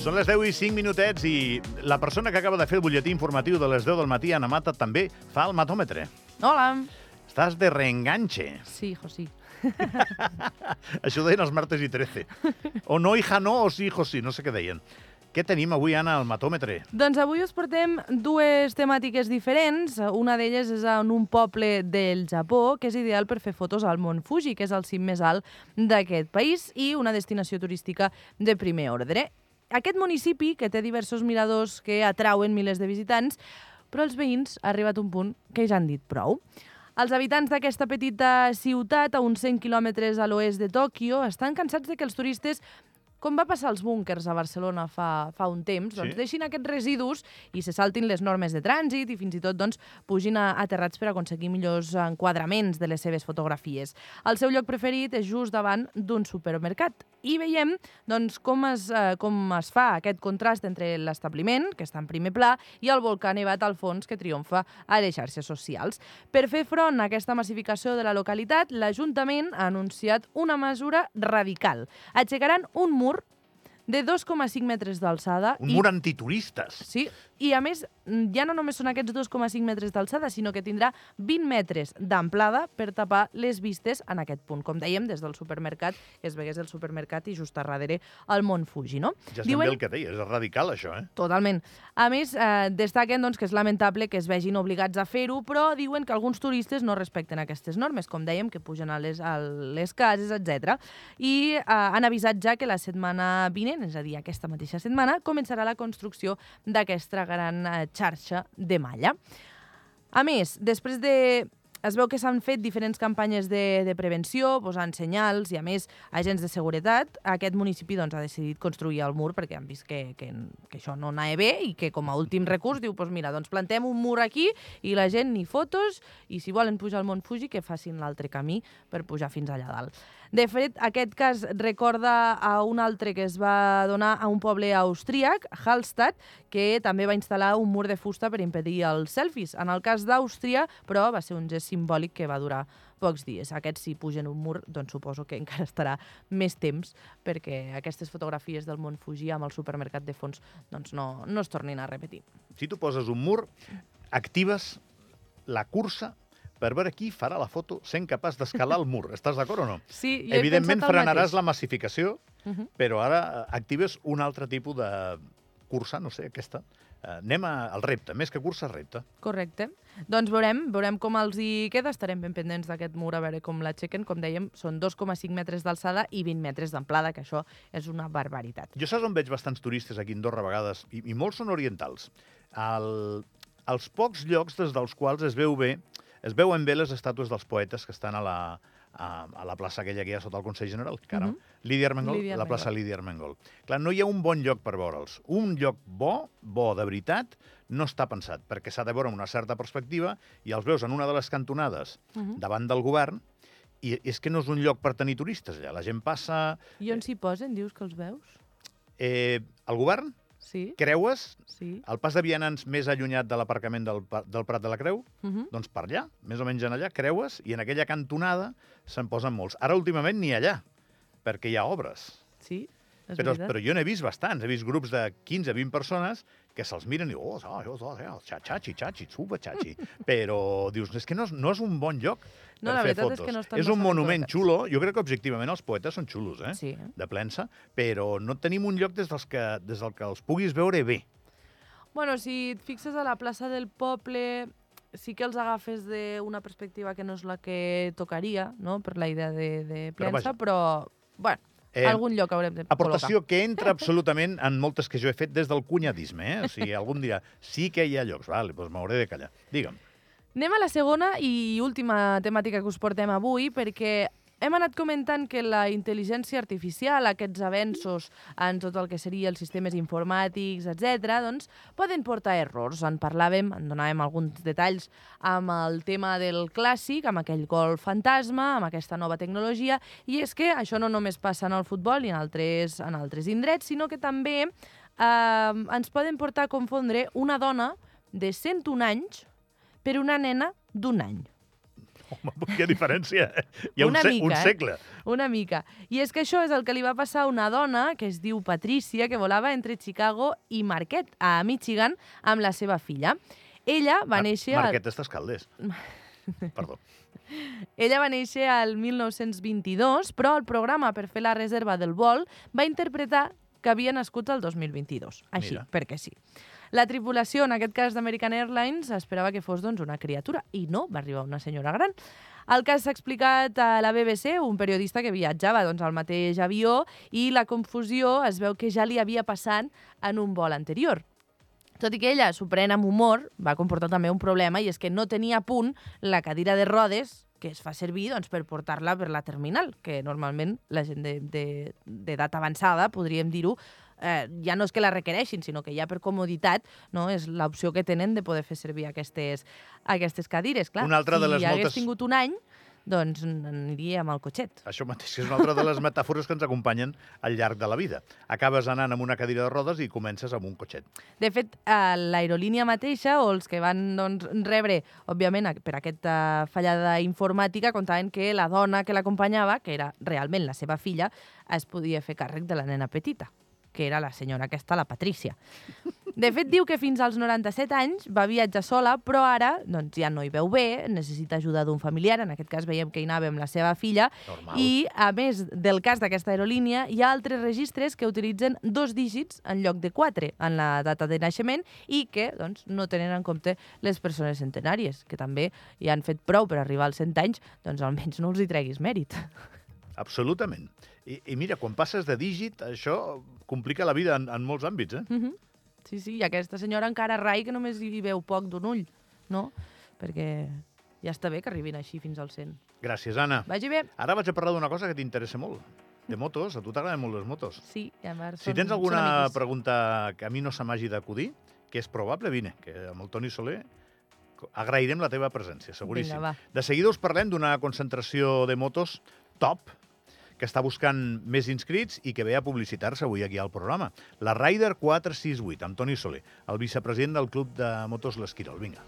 Són les 10 i 5 minutets i la persona que acaba de fer el butlletí informatiu de les 10 del matí, Ana Mata, també fa el matòmetre. Hola. Estàs de reenganche. Sí, hijo, sí. Això ho deien els martes i 13. O no, hija, no, o sí, hijo, sí. No sé què deien. Què tenim avui, Anna, al matòmetre? Doncs avui us portem dues temàtiques diferents. Una d'elles és en un poble del Japó, que és ideal per fer fotos al Mont Fuji, que és el cim més alt d'aquest país i una destinació turística de primer ordre. Aquest municipi, que té diversos miradors que atrauen milers de visitants, però els veïns ha arribat un punt que ja han dit prou. Els habitants d'aquesta petita ciutat, a uns 100 quilòmetres a l'oest de Tòquio, estan cansats de que els turistes, com va passar als búnkers a Barcelona fa un temps, doncs deixin aquests residus i se saltin les normes de trànsit i fins i tot doncs, pugin aterrats per aconseguir millors enquadraments de les seves fotografies. El seu lloc preferit és just davant d'un supermercat. I veiem doncs, com es fa aquest contrast entre l'establiment, que està en primer pla, i el volcà nevat al fons que triomfa a les xarxes socials. Per fer front a aquesta massificació de la localitat, l'Ajuntament ha anunciat una mesura radical. Aixecaran un mur de 2,5 metres d'alçada. Un mur antituristes. Sí, i a més, ja no només són aquests 2,5 metres d'alçada, sinó que tindrà 20 metres d'amplada per tapar les vistes en aquest punt. Com dèiem, des del supermercat, que es vegués el supermercat i just a darrere el Mont Fuji, no? Ja estem bé el que deies, és radical, això, eh? Totalment. A més, destaquen doncs, que és lamentable que es vegin obligats a fer-ho, però diuen que alguns turistes no respecten aquestes normes, com dèiem, que pugen a les cases, etc. I han avisat ja que la setmana vinent, és a dir, aquesta mateixa setmana, començarà la construcció d'aquesta gran xarxa de malla. A més, es veu que s'han fet diferents campanyes de prevenció, posant senyals i, a més, agents de seguretat. Aquest municipi doncs, ha decidit construir el mur perquè han vist que això no anava bé i que, com a últim recurs, diu, doncs mira, doncs plantem un mur aquí i la gent ni fotos i, si volen pujar al Mont Fuji, que facin l'altre camí per pujar fins allà dalt. De fet, aquest cas recorda a un altre que es va donar a un poble austríac, Hallstatt, que també va instal·lar un mur de fusta per impedir els selfies. En el cas d'Àustria, però, va ser un gest simbòlic que va durar pocs dies. Aquests, si pugen un mur, doncs suposo que encara estarà més temps perquè aquestes fotografies del Mont Fuji amb el supermercat de fons doncs no es tornin a repetir. Si tu poses un mur, actives la cursa per veure qui farà la foto sent capaç d'escalar el mur. Estàs d'acord o no? Sí, jo evidentment he pensat el frenaràs mateix. la massificació, però ara actives un altre tipus de cursa, no sé, aquesta. Anem al repte, més que cursa, repte. Correcte. Doncs veurem com els hi queda. Estarem ben pendents d'aquest mur, a veure com l'aixequen. Com dèiem, són 2,5 metres d'alçada i 20 metres d'amplada, que això és una barbaritat. Jo saps on veig bastants turistes aquí a Andorra a vegades, i molts són orientals. Als pocs llocs des dels quals es veuen bé les estàtues dels poetes que estan a la plaça aquella que hi ha sota el Consell General, Lídia Armengol, la plaça Lídia Armengol. Clar, no hi ha un bon lloc per veure'ls. Un lloc bo de veritat, no està pensat, perquè s'ha de veure amb una certa perspectiva i els veus en una de les cantonades davant del govern i és que no és un lloc per tenir turistes allà. La gent passa... I on s'hi posen, dius que els veus? El govern? Sí. Creues? Sí. El pas de vianants més allunyat de l'aparcament del Prat de la Creu? Doncs per allà, més o menys en allà, creues, i en aquella cantonada se'n posen molts. Ara, últimament, ni allà, perquè hi ha obres. Sí, és veritat. Però jo n'he vist bastants. He vist grups de 15-20 persones que se'ls miren i diuen, chachi, super chachi. Però dius, és que no és un bon lloc per fer fotos. És que no estan és un monument xulo. Jo crec que objectivament els poetes són xulos, Sí. de Plensa, però no tenim un lloc des del que els puguis veure bé. Bueno, si et fixes a la plaça del poble, sí que els agafes d'una perspectiva que no és la que tocaria, no?, per la idea de Plensa, però bueno, algun lloc haurem de col·locar. Aportació que entra absolutament en moltes que jo he fet des del cunyadisme, O sigui, algú em dirà, sí que hi ha llocs, doncs m'hauré de callar. Digue'm. Anem a la segona i última temàtica que us portem avui, perquè hem anat comentant que la intel·ligència artificial, aquests avenços en tot el que seria els sistemes informàtics, etc., doncs poden portar errors. En parlàvem, en donàvem alguns detalls amb el tema del clàssic, amb aquell gol fantasma, amb aquesta nova tecnologia, i és que això no només passa en el futbol i en altres indrets, sinó que també ens poden portar a confondre una dona de 101 anys per una nena d'1 any. Home, quina diferència. Hi ha Una mica, un segle. Una mica. I és que això és el que li va passar a una dona que es diu Patricia, que volava entre Chicago i Marquette, a Michigan, amb la seva filla. Ella va néixer... Marquette estàs Calders. Perdó. Ella va néixer al 1922, però el programa per fer la reserva del vol va interpretar que havia nascut el 2022. Així, Mira. perquè sí. La tripulació, en aquest cas d'American Airlines, esperava que fos doncs, una criatura, i no, va arribar una senyora gran. El cas s'ha explicat a la BBC, un periodista que viatjava doncs, al mateix avió, i la confusió es veu que ja li havia passat en un vol anterior. Tot i que ella s'ho pren amb humor, va comportar també un problema, i és que no tenia a punt la cadira de rodes que es fa servir doncs, per portar-la per la terminal, que normalment la gent d'edat avançada, podríem dir-ho, ja no és que la requereixin, sinó que ja per comoditat no, és l'opció que tenen de poder fer servir aquestes cadires. Clar, Una altra de les si hagués moltes... tingut un any, doncs aniria amb el cotxet. Això mateix, que és una altra de les metàfores que ens acompanyen al llarg de la vida. Acabes anant amb una cadira de rodes i comences amb un cotxet. De fet, l'aerolínia mateixa, o els que van doncs, rebre, òbviament, per aquesta fallada informàtica, contaven que la dona que l'acompanyava, que era realment la seva filla, es podia fer càrrec de la nena petita, que era la senyora aquesta, la Patrícia. De fet, diu que fins als 97 anys va viatjar sola, però ara doncs, ja no hi veu bé, necessita ajuda d'un familiar, en aquest cas veiem que hi anava amb la seva filla, Normal. i a més del cas d'aquesta aerolínia, hi ha altres registres que utilitzen 2 dígits en lloc de 4 en la data de naixement i que doncs, no tenen en compte les persones centenàries, que també hi han fet prou per arribar als 100 anys, doncs almenys no els hi treguis mèrit. Absolutament. I mira, quan passes de dígit, això complica la vida en molts àmbits, eh? Sí, sí, i aquesta senyora encara rai que només hi veu poc d'un ull, no? Perquè ja està bé que arribin així fins al 100. Gràcies, Anna. Vagi bé. Ara vaig a parlar d'una cosa que t'interessa molt. De motos. A tu t'agraden molt les motos. Sí, i a veure, Si tens alguna pregunta que a mi no se m'hagi d'acudir, que és probable, vine, que amb el Toni Soler agrairem la teva presència, seguríssim. Vinga, va. De seguida us parlem d'una concentració de motos top, que està buscant més inscrits i que ve a publicitar-se avui aquí al programa. La Rider 468, amb Toni Soler, el vicepresident del Club de Motos L'Esquirol. Vinga.